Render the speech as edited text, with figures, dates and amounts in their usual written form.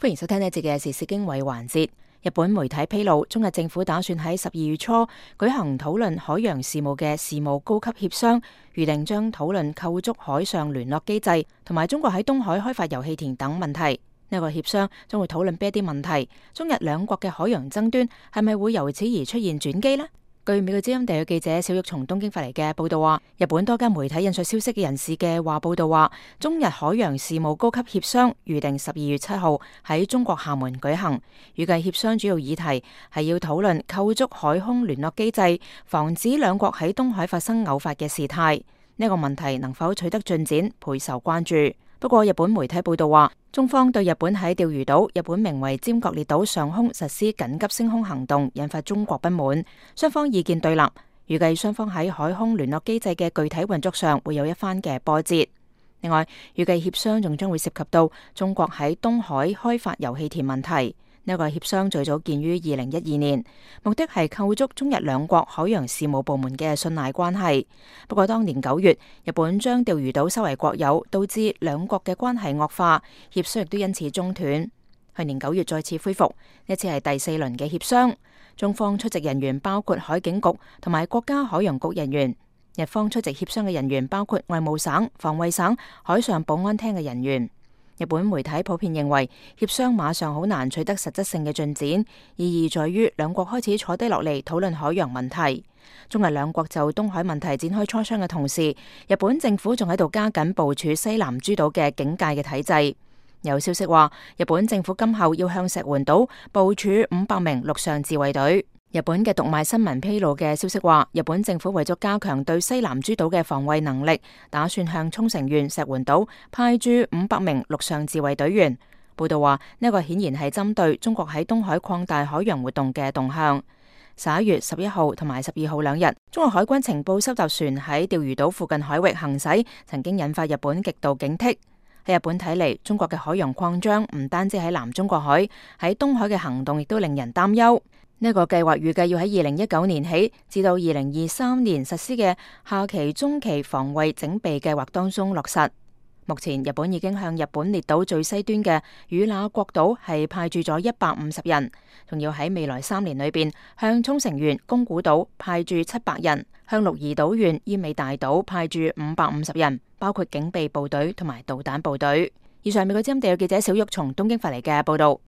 歡迎收聽呢一節嘅時事經緯環節。日本媒體披露，中日政府打算喺12月初舉行討論海洋事務嘅事務高級協商，預定將討論構築海上聯絡機制同埋中國喺東海開發油氣田等問題。呢個協商將會討論邊一啲問題？中日兩國嘅海洋爭端係咪會由此而出現轉機呢？據美國之音地嘅記者小玉從東京發嚟嘅報道話，日本多間媒體引述消息嘅人士嘅話報道話，中日海洋事務高級協商預定12月7號喺中國廈門舉行，預計協商主要議題係要討論構築海空聯絡機制，防止兩國喺東海發生偶發嘅事態。呢個問題能否取得進展，備受關注。不過日本媒體報道話，中方對日本喺釣魚島，日本名為尖閣列島上空實施緊急升空行動，引發中國不滿，雙方意見對立。預計雙方喺海空聯絡機制嘅具體運作上會有一番嘅波折。另外，預計協商仲將會涉及到中國喺東海開發油氣田問題。呢個協商最早建於2012年，目的係構築中日兩國海洋事務部門嘅信賴關係。不過當年9月，日本將釣魚島收為國有，導致兩國嘅關係惡化，協商亦都因此中斷。去年9月再次恢復，呢次係第4輪嘅協商。中方出席人員包括海警局同埋國家海洋局人員，日方出席協商嘅人員包括外務省、防衛省、海上保安廳嘅人員。日本媒體普遍認為協商馬上好難取得實質性嘅進展，意義在於兩國開始坐低落嚟討論海洋問題。中日兩國就東海問題展開磋商嘅同時，日本政府仲喺度加緊部署西南諸島嘅警戒嘅體制。有消息話，日本政府今後要向石垣島部署500名陸上自衛隊。日本嘅讀賣新聞披露嘅消息話，日本政府為咗加強對西南諸島嘅防衛能力，打算向沖繩縣石垣島派駐500名陸上自衛隊員。報道話，呢個顯然係針對中國喺東海擴大海洋活動嘅動向。11月11號同埋12號兩日，中國海軍情報收集船喺釣魚島附近海域行駛，曾經引發日本極度警惕。喺日本睇嚟，中國嘅海洋擴張唔單止喺南中國海，喺東海嘅行動亦都令人擔憂。呢個計劃預計要喺2019年起至到2023年實施嘅下期中期防衛整備計劃當中落實。目前日本已經向日本列島最西端嘅與那國島係派駐咗150人，仲要喺未來3年裏邊向沖繩縣宮古島派駐700人，向鹿兒島縣奄美大島派駐550人，包括警備部隊同埋導彈部隊。以上美國之音地嘅記者小玉從東京發嚟嘅報道。